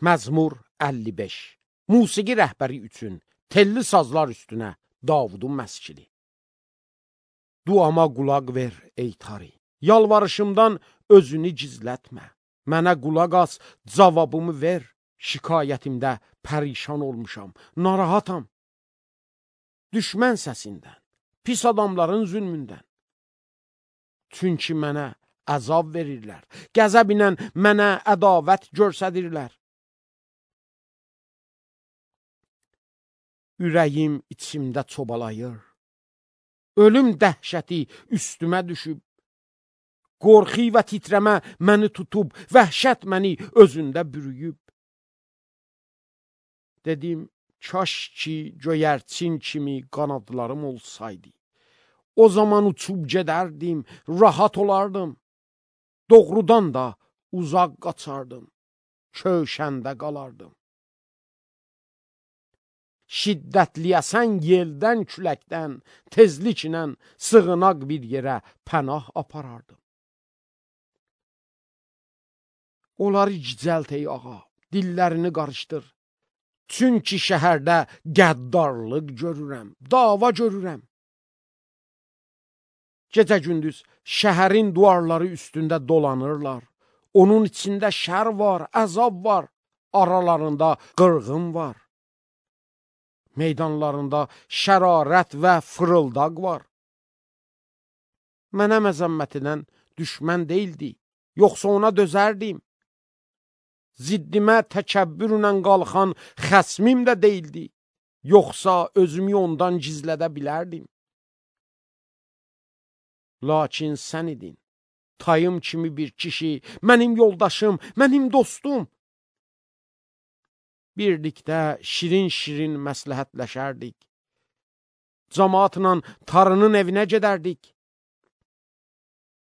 Məzmur 55. Musiqi rəhbəri üçün telli sazlar üstünə Davudun məskili. Duama qulaq ver ey tari, yalvarışımdan özünü gizlətmə. Mənə qulaq as, cavabımı ver. Şikayətimdə pərişan olmuşam, narahatam. Düşmən səsindən, pis adamların zülmündən. Çünki mənə əzab verirlər, qəzəb ilə mənə ədavət göstərirlər. Ürəyim içimdə çobalayır. Ölüm dəhşəti üstümə düşüb. Qorxu və titrəmə məni tutub, vəhşət məni özündə bürüyüb. Dedim, kaş ki göyərçin kimi qanadlarım olsaydı. O zaman uçub gedərdim, rahat olardım. Doğrudan da uzaq qaçardım, köşəndə qalardım. Şiddətli əsən yeldən, küləkdən, tezliklə sığınaq bir yerə pənah aparardım. Onları gicəlt ey ağa, dillərini qarışdır. Çünki şəhərdə qəddarlıq görürəm, dava görürəm. Gecə-gündüz şəhərin duvarları üstündə dolanırlar. Onun içində şər var, əzab var, aralarında qırğın var. Meydanlarında şərarət və fırıldaq var. Mənə məzəmmət edən düşmən deyildi, yoxsa ona dözərdim. Ziddimə təkəbbürlə qalxan xəsmim də deyildi, yoxsa özümü ondan gizlədə bilərdim. Lakin sən idin, tayım kimi bir kişi, mənim yoldaşım, mənim dostum. Birlikdə şirin-şirin məsləhətləşərdik. Camaatla tarının evinə gedərdik.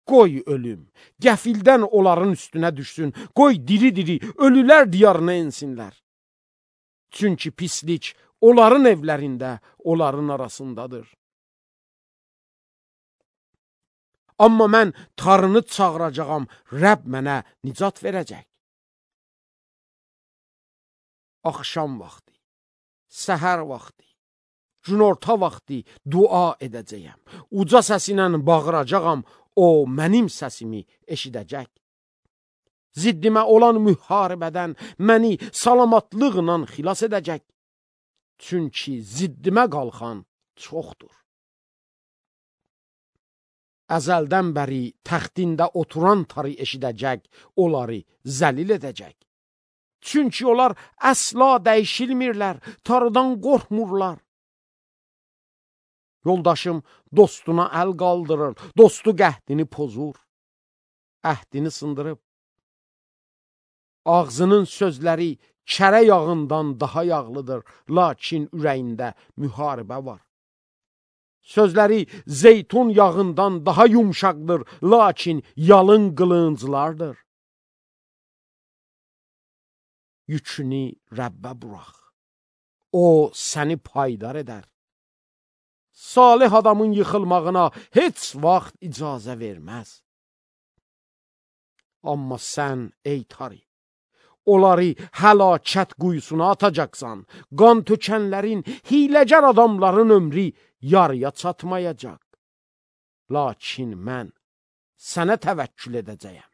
Qoy ölüm, qəfildən onların üstünə düşsün. Qoy diri-diri ölülər diyarına ensinlər. Çünki pislik onların evlərində, onların arasındadır. Amma mən tarını çağıracağam, Rəbb mənə nicat verəcək. Axşam vaxtı, səhər vaxtı, günorta vaxtı dua edəcəyəm. Uca səsilə bağıracağam, o mənim səsimi eşidəcək. Ziddimə olan müharibədən məni salamatlıqla xilas edəcək. Çünki ziddimə qalxan çoxdur. Əzəldən bəri təxtində oturan tarı eşidəcək, onları zəlil edəcək. Çünki onlar əsla dəyişilmirlər, tarıdan qorxmurlar. Yoldaşım dostuna əl qaldırır, dostu qəhdini pozur, əhdini sındırıb. Ağzının sözləri kərə yağından daha yağlıdır, lakin ürəyində müharibə var. Sözləri zeytun yağından daha yumşaqdır, lakin yalın qılınclardır. Yükünü Rəbbə burax, o səni paydar edər. Salih adamın yıxılmağına heç vaxt icazə verməz. Amma sən, ey tari, onları həlakət quyusuna atacaqsan, qan tökənlərin, hiləgər adamların ömrü yarıya çatmayacaq. Lakin mən sənə təvəkkül edəcəyəm.